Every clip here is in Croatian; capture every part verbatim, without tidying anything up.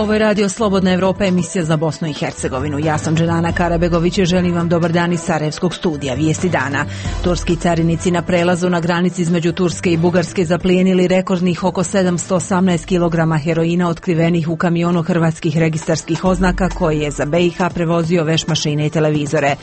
Ovo je Radio Slobodna Evropa, emisija za Bosnu i Hercegovinu. Ja sam Dženana Karabegović i želim vam dobar dan iz Sarajevskog studija. Vijesti dana. Turski carinici na prelazu na granici između Turske i Bugarske zaplijenili rekordnih oko sedamsto osamnaest kilograma heroina otkrivenih u kamionu hrvatskih registarskih oznaka koji je za B i H prevozio veš mašine i televizore.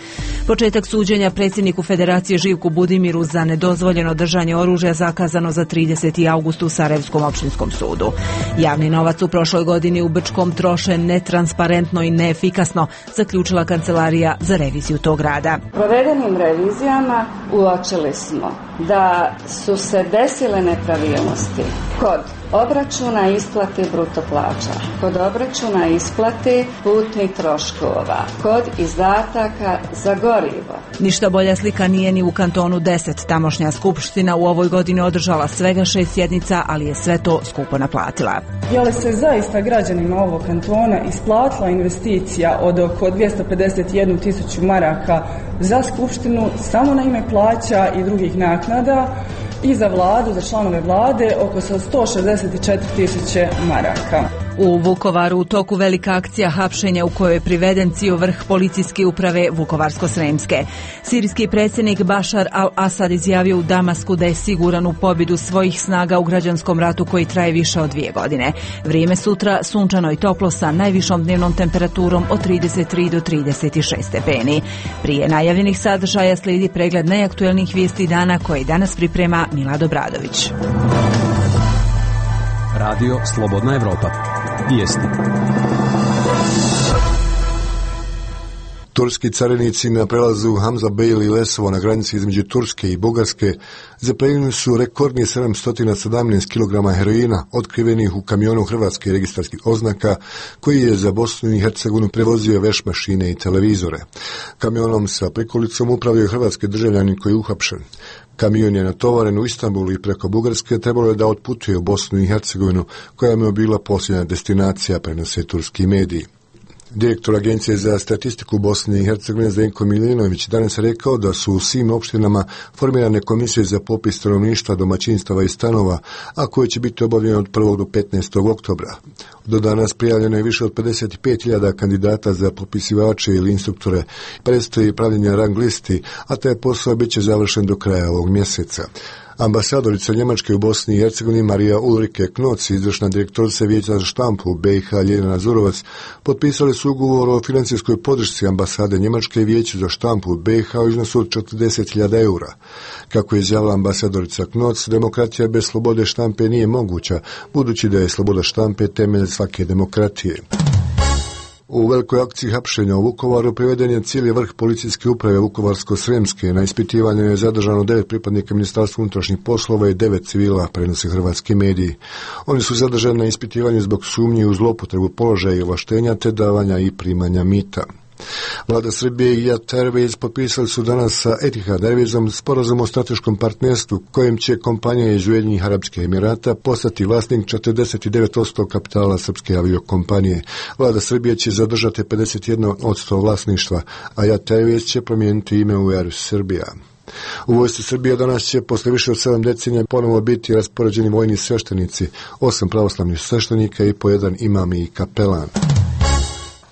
Početak suđenja predsjedniku Federacije Živku Budimiru za nedozvoljeno držanje oružja zakazano za trideseti avgust u Sarajevskom opštinskom sudu. Javni novac u prošloj godini u Brčkom troše netransparentno i neefikasno, zaključila Kancelarija za reviziju tog rada. Provedenim revizijama uočili smo da su se desile nepravilnosti kod obračuna isplate bruto plaća, kod obračuna isplate putnih troškova, kod izdataka za gorivo. Ništa bolja slika nije ni u kantonu deset. Tamošnja skupština u ovoj godini održala svega šest sjednica, ali je sve to skupo naplatila. Je li se zaista građanima ovog kantona isplatila investicija od oko dvjesto pedeset jednu tisuću maraka za skupštinu samo na ime plaća i drugih naknada i za vladu, za članove vlade oko sto šezdeset četiri tisuće maraka. U Vukovaru u toku velika akcija hapšenja u kojoj je priveden cijel vrh policijske uprave Vukovarsko-sremske. Sirijski predsjednik Bašar al-Asad izjavio u Damasku da je siguran u pobjedu svojih snaga u građanskom ratu koji traje više od dvije godine. Vrijeme sutra sunčano i toplo sa najvišom dnevnom temperaturom od trideset tri do trideset šest stepeni. Prije najavljenih sadržaja slijedi pregled najaktuelnijih vijesti dana koje danas priprema Milad Obradović. Radio Slobodna Evropa. Vijesti. Turski carinici na prelazu Hamza Bey i Lesovo na granici između Turske i Bugarske zaplijenili su rekordni sedamsto sedamnaest kilograma heroina otkrivenih u kamionu hrvatskih registarskih oznaka koji je za Bosnu i Hercegovinu prevozio veš mašine i televizore. Kamionom sa prikolicom upravljaju hrvatski državljani koji je uhapšen. Kamion je natovaren u Istanbulu i preko Bugarske trebalo je da otputuje u Bosnu i Hercegovinu koja mu je bila posljednja destinacija, prenose turski mediji. Direktor Agencije za statistiku Bosne i Hercegovine Zdenko Milinović danas rekao da su u svim opštinama formirane komisije za popis stanovništva, domaćinstava i stanova, a koje će biti obavljene od prvog do petnaestog oktobra. Do danas prijavljeno je više od pedeset pet hiljada kandidata za popisivače ili instruktore. Predstoji pravljenje rang listi, a taj posao bit će završen do kraja ovog mjeseca. Ambasadorica Njemačke u Bosni i Hercegovini Marija Ulrike Knoc i izvršna direktorica Vijeća za štampu u B i H Ljiljana Zurovac potpisali su ugovor o financijskoj podršci ambasade Njemačke i Vijeću za štampu u B i H u iznosu od četrdeset hiljada eura. Kako je izjavila ambasadorica Knoc, demokratija bez slobode štampe nije moguća, budući da je sloboda štampe temelj svake demokratije. U velikoj akciji hapšenja u Vukovaru priveden je cijeli vrh policijske uprave Vukovarsko-sremske. Na ispitivanju je zadržano devet pripadnika Ministarstva unutrašnjih poslova i devet civila, prenose hrvatski mediji. Oni su zadržani na ispitivanju zbog sumnji u zloupotrebu položaja i ovlaštenja te davanja i primanja mita. Vlada Srbije i Yat Airways potpisali su danas sa Etihad Airwaysom sporazum o strateškom partnerstvu kojem će kompanija iz Ujedinjenih Arapskih Emirata postati vlasnik četrdeset devet posto kapitala srpske aviokompanije. Vlada Srbije će zadržati pedeset jedan posto vlasništva, a Yat Airways će promijeniti ime u Air Srbija. U vojsci Srbije danas će posle više od sedam decenija ponovo biti raspoređeni vojni sveštenici, osam pravoslavnih sveštenika i po jedan imam i kapelan.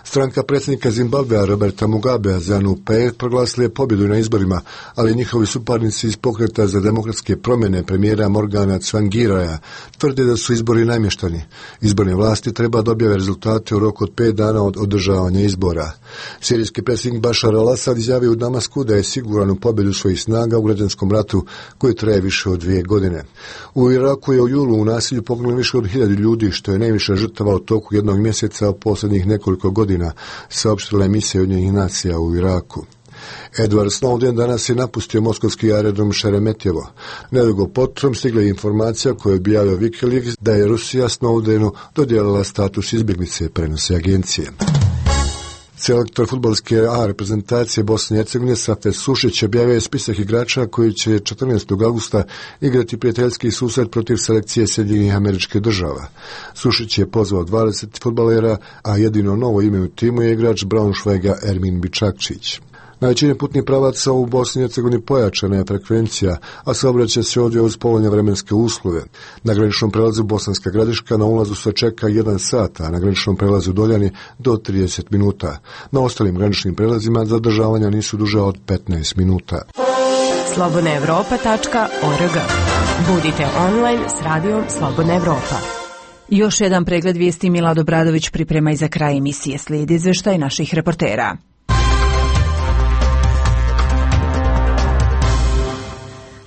Stranka predsjednika Zimbabvea Roberta Mugabea ZANU P F proglasila je pobjedu na izborima, ali njihovi suparnici iz pokreta za demokratske promjene premijera Morgana Tsvangiraja tvrde da su izbori namještani. Izborne vlasti treba da objave rezultate u roku od pet dana od održavanja izbora. Sirijski predsjednik Bašar al-Asad izjavio u Damasku da je siguran u pobjedu svojih snaga u građanskom ratu koji traje više od dvije godine. U Iraku je u julu u nasilju poginulo više od hiljadu ljudi, što je najviše žrtava u toku jednog mjeseca u posljednjih nekoliko godina, saopštila emisija Ujedinjenih nacija u Iraku. Edward Snowden danas je napustio moskovski aerodrom Šeremetjevo. Nedugo potom stigla je informacija koju je objavio Wikileaks da je Rusija Snowdenu dodijelila status izbjeglice, prenose agencije. Selektor fudbalske A reprezentacije Bosne i Hercegovine Safet Sušić objavio je spisak igrača koji će četrnaestog augusta igrati prijateljski susret protiv selekcije Sjedinjenih Američkih Država. Sušić je pozvao dvadeset fudbalera, a jedino novo ime u timu je igrač Braunschweiga Ermin Bičakčić. Na većini putnih pravaca u Bosni i Hercegovini pojačana je frekvencija, a saobraćaj se odvija uz povoljne vremenske uslove. Na graničnom prelazu Bosanska Gradiška na ulazu se čeka jedan sat, a na graničnom prelazu Doljani do trideset minuta. Na ostalim graničnim prelazima zadržavanja nisu duža od petnaest minuta. slobodna evropa tačka org. Budite online s radijom Slobodna Evropa. Još jedan pregled vijesti Milad Obradović priprema i za kraj emisije. Slijedi izveštaj naših reportera.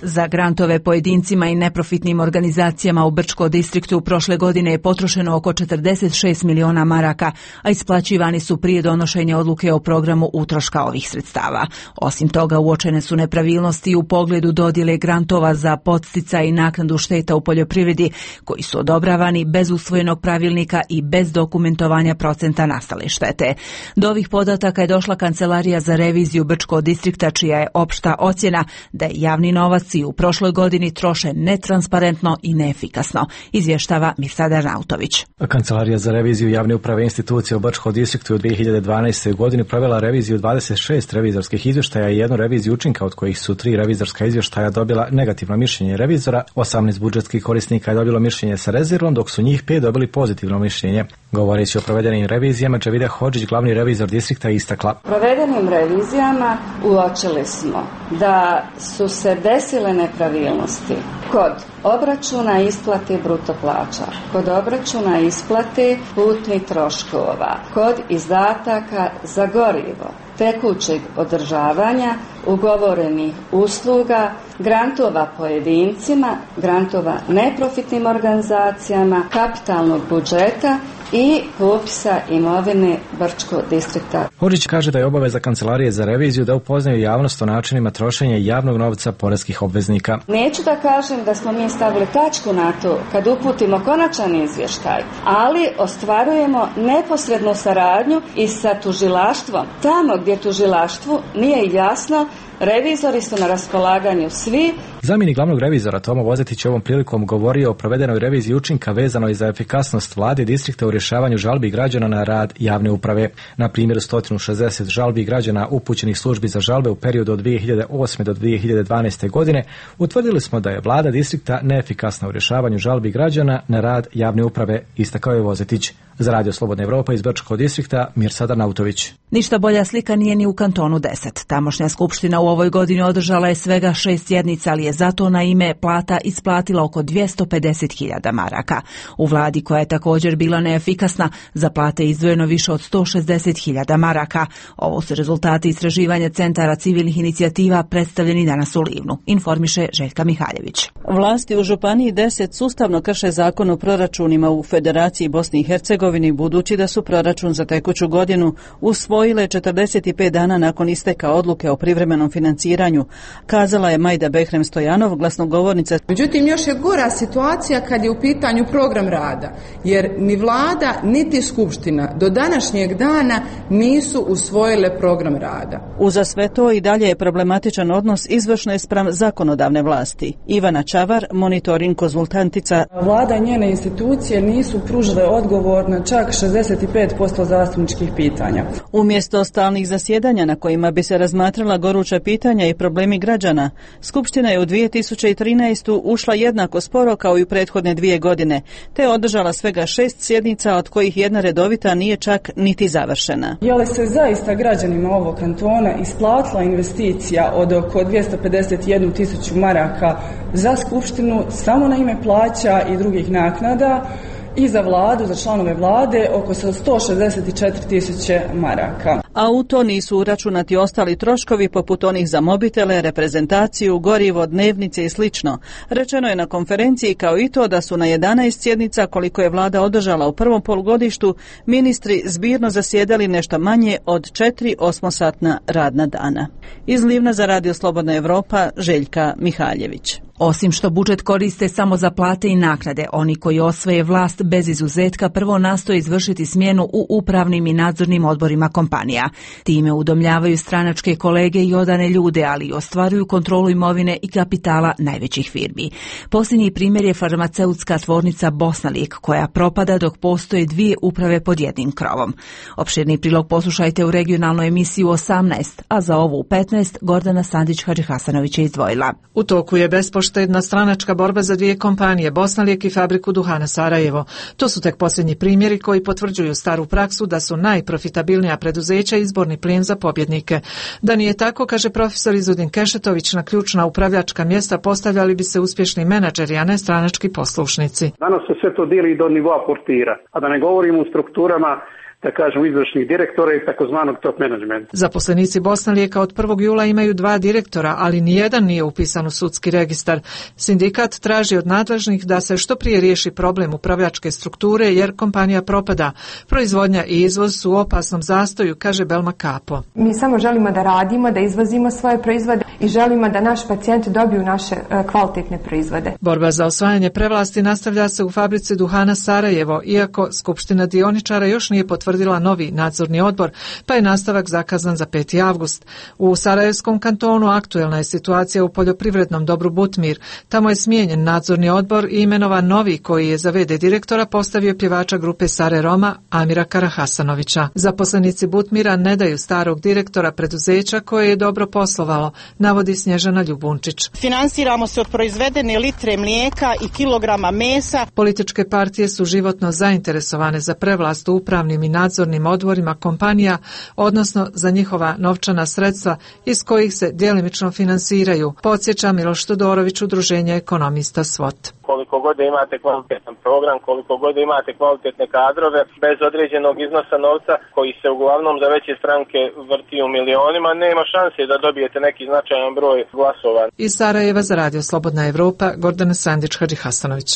Za grantove pojedincima i neprofitnim organizacijama u Brčko distriktu prošle godine je potrošeno oko četrdeset šest miliona maraka, a isplaćivani su prije donošenja odluke o programu utroška ovih sredstava. Osim toga, uočene su nepravilnosti u pogledu dodjele grantova za podsticaj i naknadu šteta u poljoprivredi, koji su odobravani bez usvojenog pravilnika i bez dokumentovanja procenta nastale štete. Do ovih podataka je došla Kancelarija za reviziju Brčko distrikta, čija je opšta ocjena da je javni novac i u prošloj godini troše netransparentno i neefikasno, izvještava Mirsada Nautović. Kancelarija za reviziju javne uprave institucije u Brčko distriktu u dvije hiljade dvanaestoj. godini provela reviziju dvadeset šest revizorskih izvještaja i jednu reviziju učinka, od kojih su tri revizorska izvještaja dobila negativno mišljenje revizora, osamnaest budžetskih korisnika je dobilo mišljenje sa rezervom, dok su njih pet dobili pozitivno mišljenje. Govoreći o provedenim revizijama, Džavida Hodžić, glavni revizor distrikta, istakla: Provedenim revizijama uočili smo da su se desile nepravilnosti kod obračuna isplate bruto plaća, kod obračuna isplate putnih troškova, kod izdataka za gorivo, tekućeg održavanja, ugovorenih usluga, grantova pojedincima, grantova neprofitnim organizacijama, kapitalnog budžeta i popisa imovine Brčko distrikta. Hodžić kaže da je obaveza Kancelarije za reviziju da upoznaju javnost o načinima trošenja javnog novca poreskih obveznika. Neću da kažem da smo mi stavili tačku na to kad uputimo konačan izvještaj, ali ostvarujemo neposrednu saradnju i sa tužilaštvom. Tamo gdje tužilaštvu nije jasno, revizori su na raspolaganju svi. Zamjenik glavnog revizora Tomo Vozetić je ovom prilikom govorio o provedenoj reviziji učinka vezanoj za efikasnost vlade distrikta u rješavanju žalbi građana na rad javne uprave. Na primjeru sto šezdeset žalbi građana upućenih službi za žalbe u periodu od dvije hiljade osme do dvije hiljade dvanaeste. godine utvrdili smo da je vlada distrikta neefikasna u rješavanju žalbi građana na rad javne uprave, istakao je Vozetić. Za Radio Slobodna Evropa iz Brčkog distrikta, Mirsada Nautović. Ništa bolja slika nije ni u kantonu deset. Tamošnja skupština u ovoj godini održala je svega šest sjednica, ali je zato na ime plata isplatila oko dvjesto pedeset hiljada maraka. U vladi, koja je također bila neefikasna, za plate izdvojeno više od sto šezdeset hiljada maraka. Ovo su rezultati istraživanja Centara civilnih inicijativa predstavljeni danas u Livnu, informiše Željka Mihaljević. Vlasti u Županiji deset sustavno krše zakon o proračunima u Federaciji Bosni i Hercegovini, budući da su proračun za tekuću godinu usvojile četrdeset pet dana nakon isteka odluke o privremenom financiranju, kazala je Majda Behrem Stojanov, glasnogovornica. Međutim, još je gora situacija kad je u pitanju program rada, jer ni vlada niti skupština do današnjeg dana nisu usvojile program rada. Uza sve to i dalje je problematičan odnos izvršne spram zakonodavne vlasti. Ivana Čavar, monitoring konzultantica. Vlada i njene institucije nisu pružile odgovor na čak šezdeset pet posto zastupničkih pitanja. Umjesto stalnih zasjedanja na kojima bi se razmatrala goruća pitanja i problemi građana, Skupština je u dvije tisuće trinaestoj. ušla jednako sporo kao i u prethodne dvije godine, te održala svega šest sjednica, od kojih jedna redovita nije čak niti završena. Je li se zaista građanima ovog kantona isplatila investicija od oko dvjesto pedeset jednu tisuću maraka za Skupštinu samo na ime plaća i drugih naknada, i za vladu, za članove vlade, oko sto šezdeset četiri tisuće maraka. A u to nisu uračunati ostali troškovi poput onih za mobitele, reprezentaciju, gorivo, dnevnice i slično. Rečeno je na konferenciji kao i to da su na jedanaest sjednica, koliko je vlada održala u prvom polugodištu, ministri zbirno zasjedali nešto manje od četiri osmosatna radna dana. Iz Livna za Radio Slobodna Evropa, Željka Mihaljević. Osim što budžet koriste samo za plate i naknade, oni koji osvoje vlast bez izuzetka prvo nastoje izvršiti smjenu u upravnim i nadzornim odborima kompanija. primanja. Time udomljavaju stranačke kolege i odane ljude, ali i ostvaruju kontrolu imovine i kapitala najvećih firmi. Posljednji primjer je farmaceutska tvornica Bosnalijek, koja propada dok postoje dvije uprave pod jednim krovom. Opširni prilog poslušajte u regionalnoj emisiji u osamnaest, a za ovu u petnaest Gordana Sandić-Hadžihasanović je izdvojila. U toku je bespoštedna stranačka borba za dvije kompanije, Bosnalijek i fabriku duhana Sarajevo. To su tek posljednji primjeri koji potvrđuju staru praksu da su najprofitabilnija preduzeća izborni plijen za pobjednike. Da nije tako, kaže profesor Izudin Kešetović, na ključna upravljačka mjesta postavljali bi se uspješni menadžeri, a ne stranački poslušnici. Danas se sve to dijeli do nivoa portira, a da ne govorimo u strukturama, da kažem, izvršnih direktora i takozvanog top menadžmenta. Zaposlenici Bosnalijeka od prvog jula imaju dva direktora, ali nijedan nije upisan u sudski registar. Sindikat traži od nadležnih da se što prije riješi problem upravljačke strukture jer kompanija propada. Proizvodnja i izvoz su u opasnom zastoju, kaže Belma Kapo. Mi samo želimo da radimo, da izvozimo svoje proizvode i želimo da naši pacijenti dobiju naše kvalitetne proizvode. Borba za osvajanje prevlasti nastavlja se u fabrici duhana Sarajevo, iako Skupština dioničara još nije potvrdila novi nadzorni odbor, pa je nastavak zakazan za peti avgust. U Sarajevskom kantonu aktuelna je situacija u poljoprivrednom dobru Butmir. Tamo je smijenjen nadzorni odbor i imenovan novi koji je za ve de direktora postavio pjevača grupe Sare Roma Amira Karahasanovića. Zaposlenici Butmira ne daju starog direktora preduzeća koje je dobro poslovalo, navodi Snježana Ljubunčić. Finansiramo se od proizvedene litre mlijeka i kilograma mesa. Političke partije su životno zainteresovane za prevlast u upravnim i nadzornim odborima kompanija, odnosno za njihova novčana sredstva iz kojih se djelimično finansiraju, podsjeća Miloš Todorović, udruženje ekonomista SWOT. Koliko god imate kvalitetan program, koliko god imate kvalitetne kadrove, bez određenog iznosa novca koji se uglavnom za veće stranke vrti u milionima, nema šanse da dobijete neki značajan broj glasova. Iz Sarajeva za Radio Slobodna Evropa, Gordana Sandić-Hadžihasanović.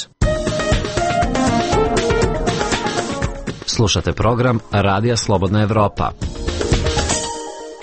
Slušate program Radija Slobodna Evropa.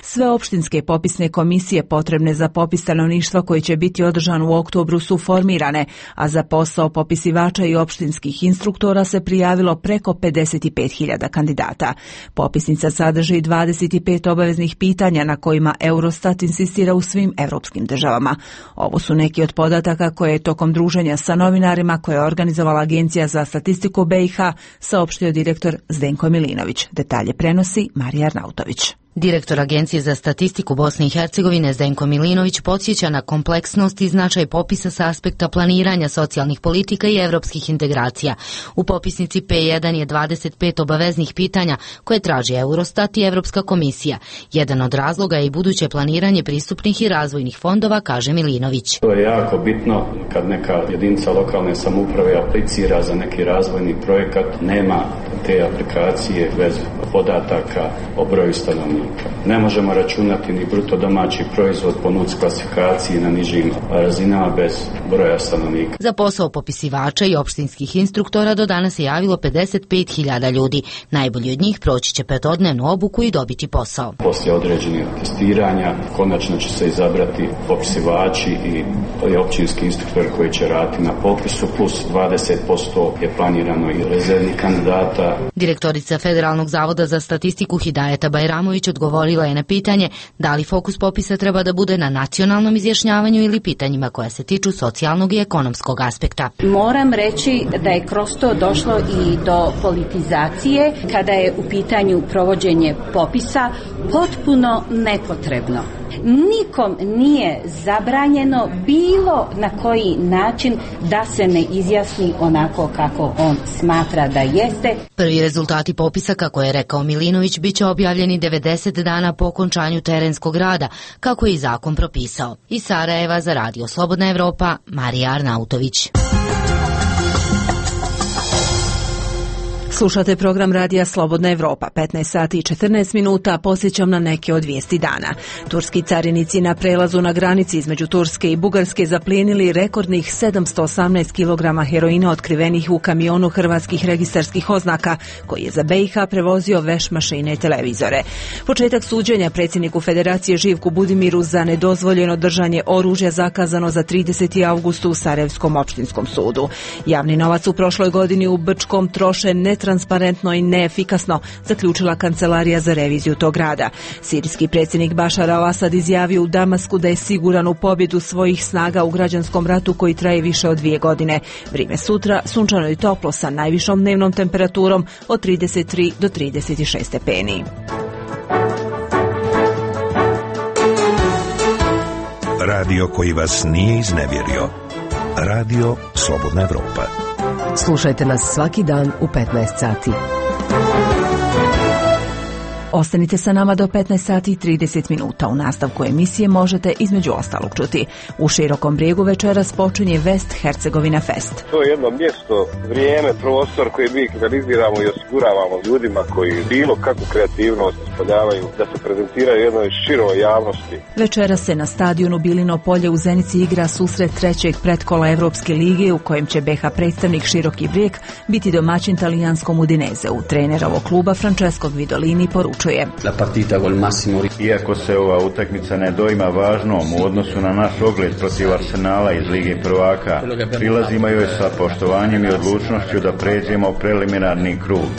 Sve opštinske popisne komisije potrebne za popis stanovništva koji će biti održan u oktobru su formirane, a za posao popisivača i opštinskih instruktora se prijavilo preko pedeset pet hiljada kandidata. Popisnica sadrži dvadeset pet obaveznih pitanja na kojima Eurostat insistira u svim evropskim državama. Ovo su neki od podataka koje je tokom druženja sa novinarima koje je organizovala Agencija za statistiku be i ha saopštio direktor Zdenko Milinović. Detalje prenosi Marija Arnautović. Direktor Agencije za statistiku Bosne i Hercegovine Zdenko Milinović podsjeća na kompleksnost i značaj popisa sa aspekta planiranja socijalnih politika i evropskih integracija. U popisnici pe jedan je dvadeset pet obaveznih pitanja koje traži Eurostat i Evropska komisija. Jedan od razloga je i buduće planiranje pristupnih i razvojnih fondova, kaže Milinović. To je jako bitno kad neka jedinica lokalne samouprave aplicira za neki razvojni projekat, nema te aplikacije bez podataka o broju stanovnika. Ne možemo računati ni bruto domaći proizvod po nuc klasifikaciji na nižim razinama bez broja stanovnika. Za posao popisivača i opštinskih instruktora do danas se javilo pedeset pet hiljada ljudi. Najbolji od njih proći će petodnevnu obuku i dobiti posao. Poslije određenih testiranja konačno će se izabrati popisivači i općinski instruktori koji će raditi na popisu, plus dvadeset posto je planirano i rezervnih kandidata. Direktorica Federalnog zavoda za statistiku Hidajeta Bajramović odgovorila je na pitanje da li fokus popisa treba da bude na nacionalnom izjašnjavanju ili pitanjima koja se tiču socijalnog i ekonomskog aspekta. Moram reći da je kroz to došlo i do politizacije kada je u pitanju provođenje popisa potpuno nepotrebno. Nikom nije zabranjeno bilo na koji način da se ne izjasni onako kako on smatra da jeste. Prvi rezultati popisa, kako je rekao Milinović, bit će objavljeni devedeset dana po okončanju terenskog rada, kako je i zakon propisao. Iz Sarajeva za Radio Slobodna Evropa, Marija Arnautović. Slušate program Radija Slobodna Evropa, petnaest sati i četrnaest minuta, posjećam na neke od vijesti dana. Turski carinici na prelazu na granici između Turske i Bugarske zaplijenili rekordnih sedamsto osamnaest kilograma heroina otkrivenih u kamionu hrvatskih registarskih oznaka, koji je za be i ha prevozio veš mašine i televizore. Početak suđenja predsjedniku Federacije Živku Budimiru za nedozvoljeno držanje oružja zakazano za trideseti avgust u Sarajevskom opštinskom sudu. Javni novac u prošloj godini u Brčkom troše netransparentno netransparentno i neefikasno, zaključila Kancelarija za reviziju tog rada. Sirijski predsjednik Bašar al-Asad izjavio u Damasku da je siguran u pobjedu svojih snaga u građanskom ratu koji traje više od dvije godine. Vrijeme sutra sunčano i toplo sa najvišom dnevnom temperaturom od trideset tri do trideset šest stepeni. Radio koji vas nije iznevjerio. Radio Slobodna Evropa. Slušajte nas svaki dan u petnaest sati. Ostanite sa nama do petnaest sati i trideset minuta. U nastavku emisije možete između ostalog čuti. U Širokom Brijegu večeras počinje West Hercegovina Fest. To je jedno mjesto, vrijeme, prostor koji mi organiziramo i osiguravamo ljudima koji bilo kakvu kreativnost ispoljavaju da se prezentiraju jednoj široj javnosti. Večeras se na stadionu Bilino polje u Zenici igra susret trećeg pretkola Evropske lige u kojem će B iH predstavnik Široki Brijeg biti domaćin talijanskom Udinezeu. Trener ovog kluba Francesco Guidolini poručuje: Iako se ova utakmica ne doima važnom u odnosu na naš ogled protiv Arsenala iz Lige prvaka, prilazimo joj sa poštovanjem i odlučnošću da pređemo preliminarni krug.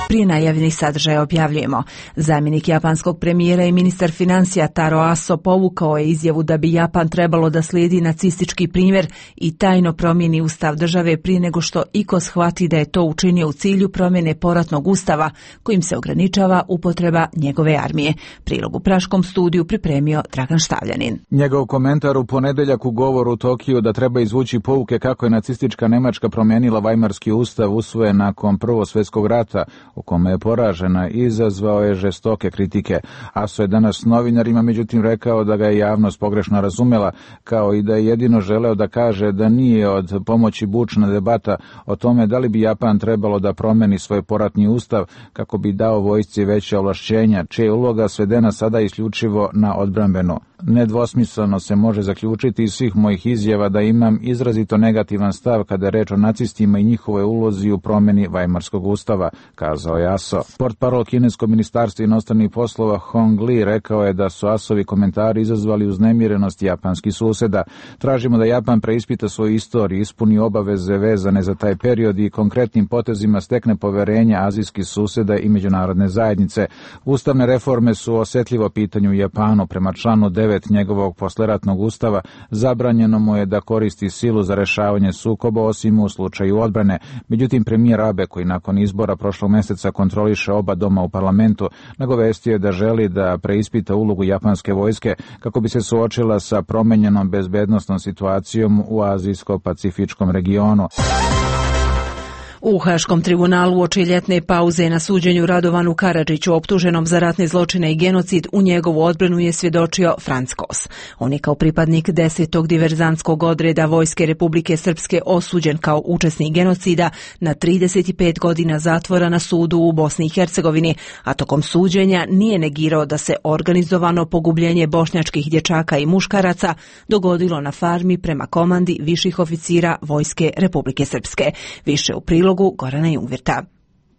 Prije najavljenih sadržaja objavljujemo. Zamjenik japanskog premijera i ministar financija Taro Aso povukao je izjavu da bi Japan trebalo da slijedi nacistički primjer i tajno promijeni ustav države prije nego što iko shvati da je to učinio u cilju promjene poratnog ustava kojim se ograničava upotreba njegove armije. Prilog u Praškom studiju pripremio Dragan Štavljanin. Njegov komentar u ponedjeljak u govoru u Tokiju da treba izvući pouke kako je nacistička Nemačka promijenila Vajmarski ustav usvojen nakon Prvog svjetskog rata, u kome je poražena, izazvao je žestoke kritike. Aso je danas novinarima međutim rekao da ga je javnost pogrešno razumela, kao i da je jedino želeo da kaže da nije od pomoći bučna debata o tome da li bi Japan trebalo da promeni svoj poratni ustav kako bi dao vojsci veće ovlašćenja, čija je uloga svedena sada isključivo na odbrambenu. Nedvosmisleno se može zaključiti iz svih mojih izjava da imam izrazito negativan stav kada je reč o nacistima i njihovoj ulozi u promjeni Vajmarskog ustava, kazao je Aso. Portparol kineskog ministarstva inostranih poslova Hong Li rekao je da su Asovi komentari izazvali uznemirenost japanskih susjeda. Tražimo da Japan preispita svoju istoriju, ispuni obaveze vezane za taj period i konkretnim potezima stekne poverenje azijskih susjeda i međunarodne zajednice. Ustavne reforme su osjetljivo pitanje u Japanu. Prema članu devet njegovog posleratnog ustava zabranjeno mu je da koristi silu za rješavanje sukoba osim u slučaju odbrane. Međutim, premijer Abe, koji nakon izbora prošlog mjeseca kontroliše oba doma u parlamentu, nagovestio je da želi da preispita ulogu japanske vojske kako bi se suočila sa promenjenom bezbednosnom situacijom u azijsko-pacifičkom regionu. U Haškom tribunalu uoči ljetne pauze na suđenju Radovanu Karadžiću, optuženom za ratne zločine i genocid, u njegovu odbranu je svjedočio Franc Kos. On je kao pripadnik desetog diverzantskog odreda Vojske Republike Srpske osuđen kao učesnik genocida na trideset pet godina zatvora na sudu u Bosni i Hercegovini, a tokom suđenja nije negirao da se organizovano pogubljenje bošnjačkih dječaka i muškaraca dogodilo na farmi prema komandi viših oficira Vojske Republike Srpske. Više u prilogu Gorana Jungvirta.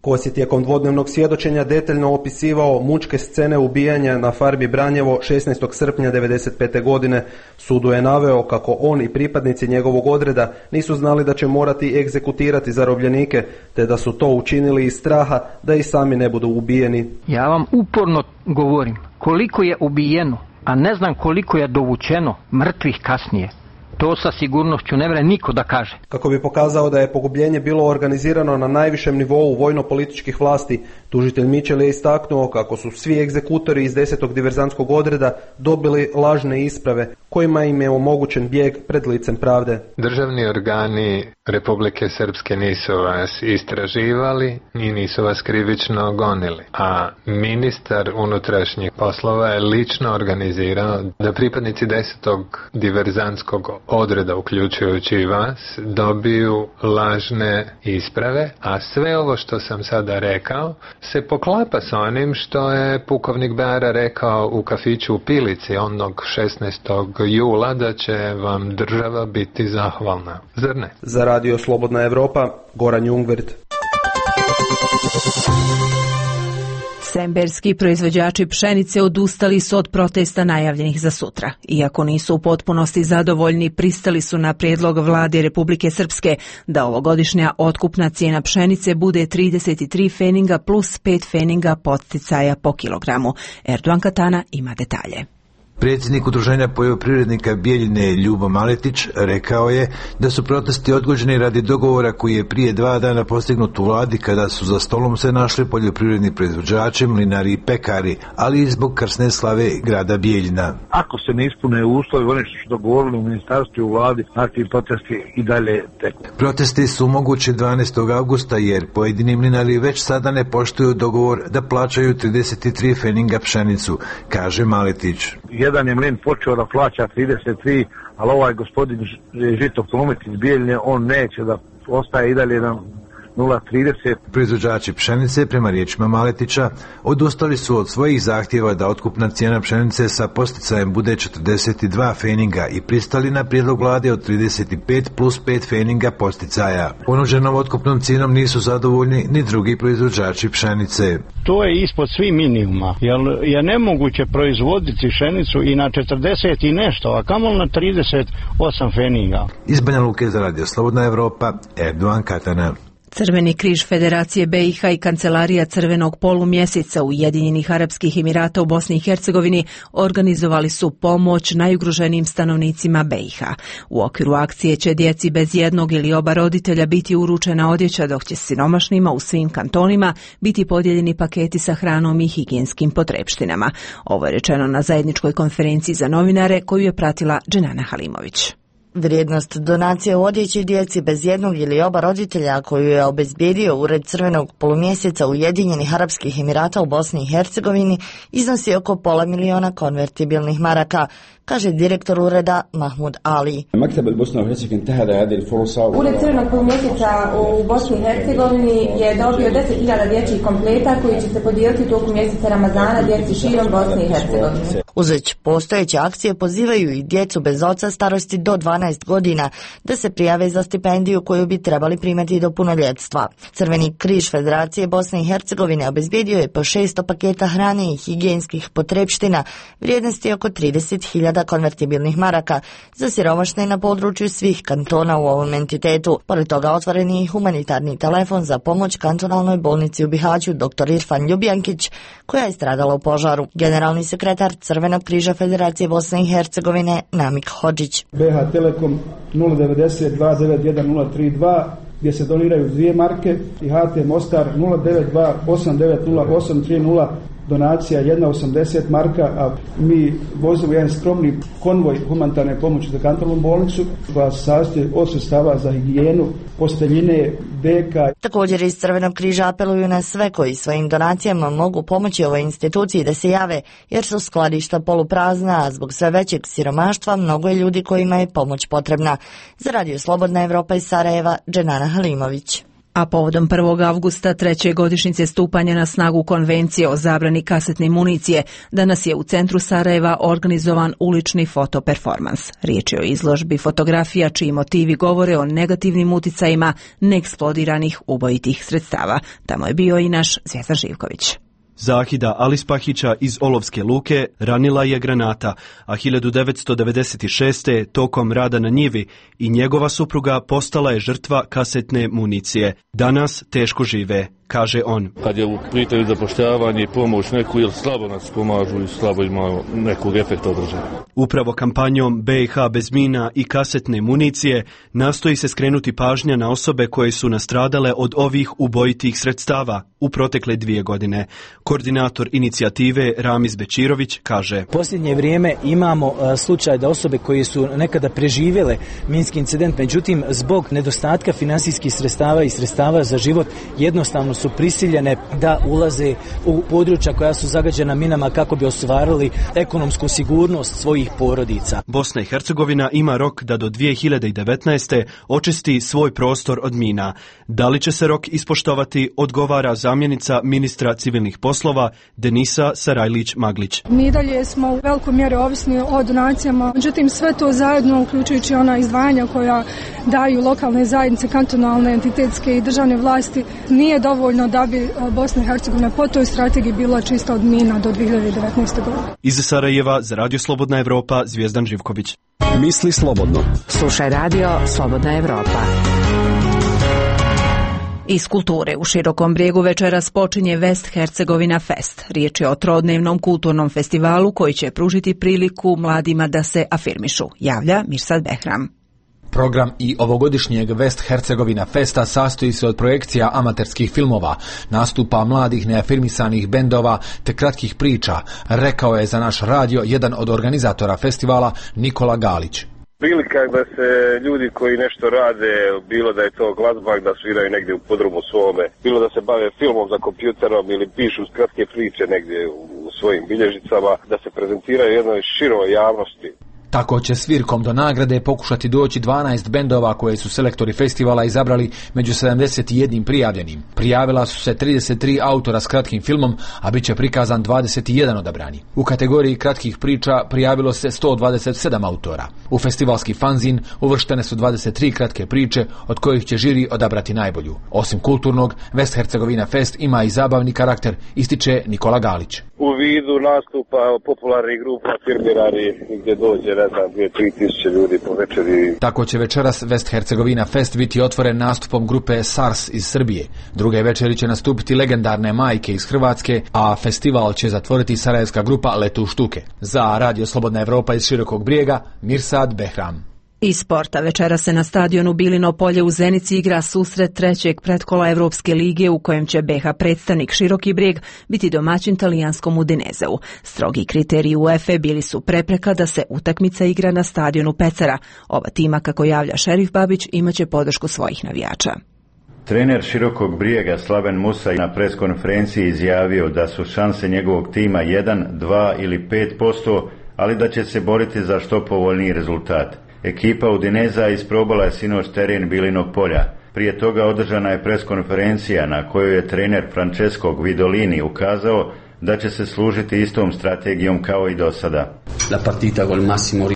Kos je tijekom dvodnevnog svjedočenja detaljno opisivao mučke scene ubijanja na farmi Branjevo šesnaestog srpnja devedeset pete. godine. Sudu je naveo kako on i pripadnici njegovog odreda nisu znali da će morati egzekutirati zarobljenike, te da su to učinili iz straha da i sami ne budu ubijeni. Ja vam uporno govorim koliko je ubijeno, a ne znam koliko je dovučeno mrtvih kasnije. To sa sigurnošću ne vre niko da kaže. Kako bi pokazao da je pogubljenje bilo organizirano na najvišem nivou vojno-političkih vlasti, tužitelj Mičel je istaknuo kako su svi egzekutori iz desetog diverzantskog odreda dobili lažne isprave kojima im je omogućen bijeg pred licem pravde. Državni organi Republike Srpske nisu vas istraživali i nisu vas krivično gonili, a ministar unutrašnjih poslova je lično organizirao da pripadnici desetog diverzantskog odreda, uključujući i vas, dobiju lažne isprave, a sve ovo što sam sada rekao se poklapa s onim što je pukovnik Beara rekao u kafiću u Pilici onog šesnaestog jula da će vam država biti zahvalna. Zar ne? Za Radio Slobodna Evropa, Goran Jungvirt. Semberski proizvođači pšenice odustali su od protesta najavljenih za sutra. Iako nisu u potpunosti zadovoljni, pristali su na prijedlog vlade Republike Srpske da ovogodišnja otkupna cijena pšenice bude trideset tri feninga plus pet feninga podsticaja po kilogramu. Erdogan Katana ima detalje. Predsjednik Udruženja poljoprivrednika Bijeljine Ljubo Maletić rekao je da su protesti odgođeni radi dogovora koji je prije dva dana postignut u vladi kada su za stolom se našli poljoprivredni proizvođači, mlinari i pekari, ali i zbog krsne slave grada Bijeljina. Ako se ne ispune uslovi, oni su dogovorili u ministarstvu i u vladi, takvi protesti i dalje teku. Protesti su mogući dvanaestog avgusta jer pojedini mlinari već sada ne poštuju dogovor da plaćaju trideset tri feninga pšenicu, kaže Maletić. Jedan je mlin počeo da plaća trideset tri, ali ovaj gospodin Žito Promet iz Bijeljine, on neće da ostaje i dalje na nula trideset. Proizvođači pšenice, prema riječima Maletića, odustali su od svojih zahtjeva da otkupna cijena pšenice sa posticajem bude četrdeset dva feninga i pristali na prijedlog vlade od trideset pet plus pet feninga posticaja. Ponuđenom otkupnom cijenom nisu zadovoljni ni drugi proizvođači pšenice. To je ispod svih minimuma, jer je nemoguće proizvoditi pšenicu i na četrdeset i nešto, a kamoli na trideset osam feninga. Iz Banja Luke za Radio Slobodna Evropa, Erdogan Katana. Crveni križ Federacije B i H i Kancelarija Crvenog polumjeseca Ujedinjenih Arapskih Emirata u Bosni i Hercegovini organizovali su pomoć najugroženijim stanovnicima B i H. U okviru akcije će djeci bez jednog ili oba roditelja biti uručena odjeća, dok će siromašnima u svim kantonima biti podijeljeni paketi sa hranom i higijenskim potrepštinama. Ovo je rečeno na zajedničkoj konferenciji za novinare koju je pratila Dženana Halimović. Vrijednost donacije u odjeći djeci bez jednog ili oba roditelja koju je obezbijedio Ured Crvenog polumjeseca Ujedinjenih Arapskih Emirata u Bosni i Hercegovini iznosi oko pola miliona konvertibilnih maraka, kaže direktor ureda Mahmud Ali. Ured Crvenog polumjeseca u Bosni i Hercegovini je dobio deset hiljada dječjih kompleta koji će se podijeliti tokom mjeseca Ramazana djeci širom Bosne i Hercegovine. Uz već postojeće akcije pozivaju i djecu bez oca starosti do dvanaest godina da se prijave za stipendiju koju bi trebali primati do punoljetstva. Crveni križ Federacije Bosne i Hercegovine obezbijedio je po šesto paketa hrane i higijenskih potrepština vrijednosti oko trideset hiljada konvertibilnih maraka za siromašne na području svih kantona u ovom entitetu. Pored toga otvoren je i humanitarni telefon za pomoć kantonalnoj bolnici u Bihaću dr. Irfan Ljubijankić koja je stradala u požaru. Generalni sekretar Crvenog križa Federacije Bosne i Hercegovine Namik Hodžić. B H Telekom nula devedeset dva devet jedan nula tri dva gdje se doniraju dvije marke i H T Mostar nula devet dva osam devet nula osam tri nula donacija jedna osamdeset marka, a mi vozimo jedan skromni konvoj humanitarne pomoći za kantonalnu bolnicu koja se sastoji od sredstava za higijenu, posteljine, deka. Također iz Crvenog križa apeluju na sve koji svojim donacijama mogu pomoći ovoj instituciji da se jave, jer su skladišta poluprazna, a zbog sve većeg siromaštva mnogo je ljudi kojima je pomoć potrebna. Za Radio Slobodna Evropa iz Sarajeva, Dženana Halimović. A povodom prvog avgusta treće godišnjice stupanja na snagu Konvencije o zabrani kasetne municije, danas je u centru Sarajeva organizovan ulični fotoperformans. Riječ je o izložbi fotografija čiji motivi govore o negativnim uticajima neeksplodiranih ubojitih sredstava. Tamo je bio i naš Zvjetar Živković. Zahida Alispahića iz Olovske luke ranila je granata, a hiljadu devetsto devedeset šeste. tokom rada na njivi i njegova supruga postala je žrtva kasetne municije. Danas teško žive, kaže on. Kad je u pitanju zapošljavanje i pomoć neku ili slabo nas pomažu i slabo imaju nekog efekta održanja. Upravo kampanjom B i H bez mina i kasetne municije nastoji se skrenuti pažnja na osobe koje su nastradale od ovih ubojitih sredstava u protekle dvije godine. Koordinator inicijative Ramiz Bečirović kaže: Posljednje vrijeme imamo uh, slučaj da osobe koje su nekada preživjele minski incident, međutim zbog nedostatka finansijskih sredstava i sredstava za život jednostavno su prisiljene da ulaze u područja koja su zagađena minama kako bi ostvarili ekonomsku sigurnost svojih porodica. Bosna i Hercegovina ima rok da do dvije hiljade devetnaeste. očisti svoj prostor od mina. Da li će se rok ispoštovati, odgovara zamjenica ministra civilnih poslova Denisa Sarajlić-Maglić. Mi dalje smo u velikoj mjeri ovisni o donacijama, međutim sve to zajedno, uključujući ona izdvajanja koja daju lokalne zajednice, kantonalne, entitetske i državne vlasti, nije dovoljno dovoljno da bi Bosna i Hercegovina po toj strategiji bila čista od mina do dvije hiljade devetnaeste. godine. Iz Sarajeva za Radio Slobodna Evropa, Zvijezdan Živković. Misli slobodno. Slušaj Radio Slobodna Evropa. Iz kulture u Širokom Brijegu večeras počinje West Hercegovina Fest. Riječ je o trodnevnom kulturnom festivalu koji će pružiti priliku mladima da se afirmišu, javlja Mirsad Behram. Program i ovogodišnjeg West Hercegovina Festa sastoji se od projekcija amaterskih filmova, nastupa mladih neafirmisanih bendova te kratkih priča, rekao je za naš radio jedan od organizatora festivala Nikola Galić. Prilika da se ljudi koji nešto rade, bilo da je to glazba, da sviraju negdje u podrumu svome, bilo da se bave filmom za kompjuterom ili pišu kratke priče negdje u svojim bilježicama, da se prezentiraju jednoj široj javnosti. Tako će svirkom do nagrade pokušati doći dvanaest bendova koje su selektori festivala izabrali među sedamdeset jedan prijavljenim. Prijavila su se trideset tri autora s kratkim filmom, a bit će prikazan dvadeset jedan odabrani. U kategoriji kratkih priča prijavilo se sto dvadeset sedam autora. U festivalski fanzin uvrštene su dvadeset tri kratke priče, od kojih će žiri odabrati najbolju. Osim kulturnog, West Hercegovina Fest ima i zabavni karakter, ističe Nikola Galić. U vidu nastupa popularnih grupa, firmirari, gdje dođe, ne znam, dvije do tri tisuće ljudi po večeri. Tako će večeras West Hercegovina Fest biti otvoren nastupom grupe SARS iz Srbije. Druge večeri će nastupiti legendarne Majke iz Hrvatske, a festival će zatvoriti sarajevska grupa Letu štuke. Za Radio Slobodna Evropa iz Širokog Brijega, Mirsad Behram. Iz sporta večera se na stadionu Bilino polje u Zenici igra susret trećeg pretkola Evropske lige u kojem će B H predstavnik Široki Brijeg biti domaćin talijanskom Udinezeu. Strogi kriteriji UEFA bili su prepreka da se utakmica igra na stadionu Pecera. Ova tima, kako javlja Šerif Babić, imaće podršku svojih navijača. Trener Širokog Brijega Slaven Musa na preskonferenciji izjavio da su šanse njegovog tima jedan, dva ili pet posto, ali da će se boriti za što povoljniji rezultat. Ekipa Udineza isprobala je sinoć teren Bilinog polja. Prije toga održana je preskonferencija na kojoj je trener Francesco Guidolini ukazao da će se služiti istom strategijom kao i do sada.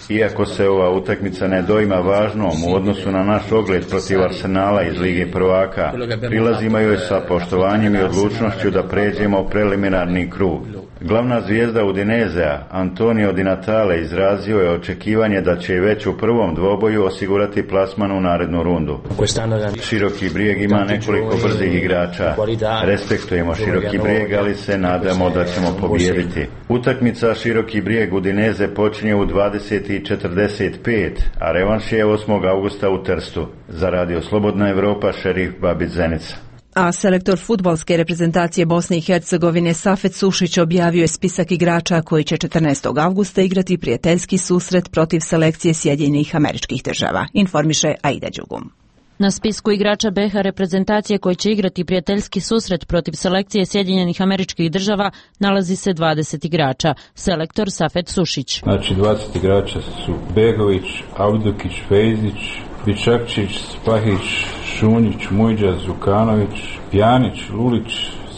Iako se ova utakmica ne doima važnom u odnosu na naš ogled protiv Arsenala iz Lige prvaka, prilazimo joj sa poštovanjem i odlučnošću da pređemo preliminarni krug. Glavna zvijezda Udinezea, Antonio Di Natale, izrazio je očekivanje da će već u prvom dvoboju osigurati plasman u narednu rundu. Široki Brijeg ima nekoliko brzih igrača. Respektujemo Široki Brijeg, ali se nadamo da ćemo pobijediti. Utakmica Široki Brijeg Udineze počinje u dvadeset četrdeset pet, a revanš je osmog augusta u Trstu. Za Radio Slobodna Evropa, Šerif Babić, Zenica. A selektor fudbalske reprezentacije Bosne i Hercegovine Safet Sušić objavio je spisak igrača koji će četrnaestog avgusta igrati prijateljski susret protiv selekcije Sjedinjenih Američkih Država, informiše Aida Đugum. Na spisku igrača B H reprezentacije koji će igrati prijateljski susret protiv selekcije Sjedinjenih Američkih Država nalazi se dvadeset igrača. Selektor Safet Sušić. Znači dvadeset igrača su Begović, Avdukić, Fejzić, Bičakčić, Spahić, Šunjić, Mujđa, Zukanović, Pjanić, Lulić,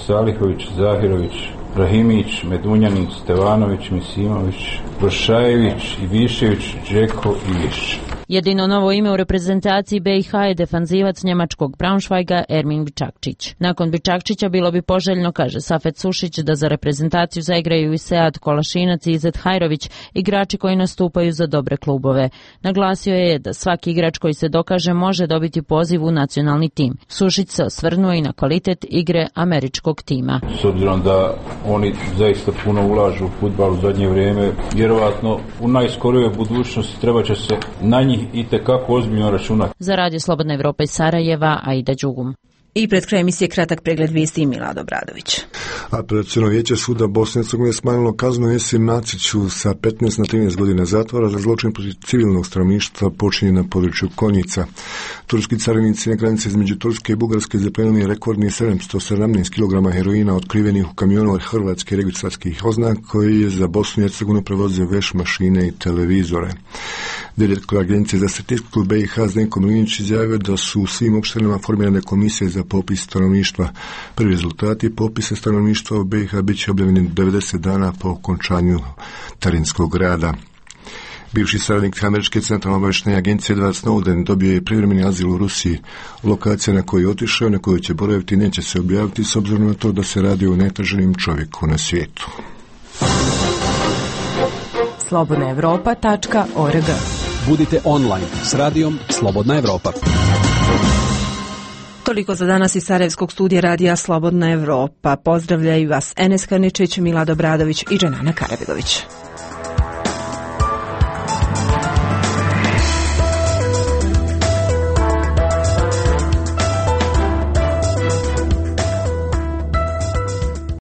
Salihović, Zahirović, Rahimić, Medunjanin, Stevanović, Misimović, Brošajević, Ivišević, Džeko i Viš. Jedino novo ime u reprezentaciji B i H je defanzivac njemačkog Braunschweiga Ermin Bičakčić. Nakon Bičakčića bilo bi poželjno, kaže Safet Sušić, da za reprezentaciju zaigraju i Sead Kolašinac i Izet Hajrović, igrači koji nastupaju za dobre klubove. Naglasio je da svaki igrač koji se dokaže može dobiti poziv u nacionalni tim. Sušić se osvrnuo i na kvalitet igre američkog tima. S obzirom da oni zaista puno ulažu u fudbal u zadnje vrijeme, vjerovatno u najskorijoj budućnosti treba će se na njih i tekako ozbiljno računati. Za Radio Slobodna Evropa iz Sarajeva, Aida Đugum. I pred kraj emisije kratak pregled vijesti i Milad Obradović. Apelaciono vijeće suda Bosne i Hercegovine smanjilo kaznu Esim Naciću sa petnaest na trinaest godina zatvora za zločin protiv civilnog stanovništva počinjen na području Konjica. Turski carinici na granici između Turske i Bugarske zaplenili rekordni sedamsto sedamnaest kilograma heroina otkrivenih u kamionu od hrvatske registarskih oznaka koji je za Bosnu i Hercegovinu prevozio veš mašine i televizore. Direktor Agencije za statistiku B i H Zdenko Milinić izjavio da su u svim opštinama formirane komisije za popis stanovništva. Prvi rezultati popisa stanovništva u B i H bit će objavljeni devedeset dana po okončanju terenskog rada. Bivši saradnik američke centralne obavještajne agencije Edward Snowden dobio je privremeni azil u Rusiji. Lokacija na koju je otišao, na kojoj će boraviti, neće se objaviti s obzirom na to da se radi o najtraženim čovjeku na svijetu. slobodna evropa tačka org. Budite online s radijom Slobodna Evropa. Toliko za danas iz Sarajevskog studija radija Slobodna Evropa. Pozdravljaju vas Enes Karničić, Milad Obradović i Dženana Karabegović.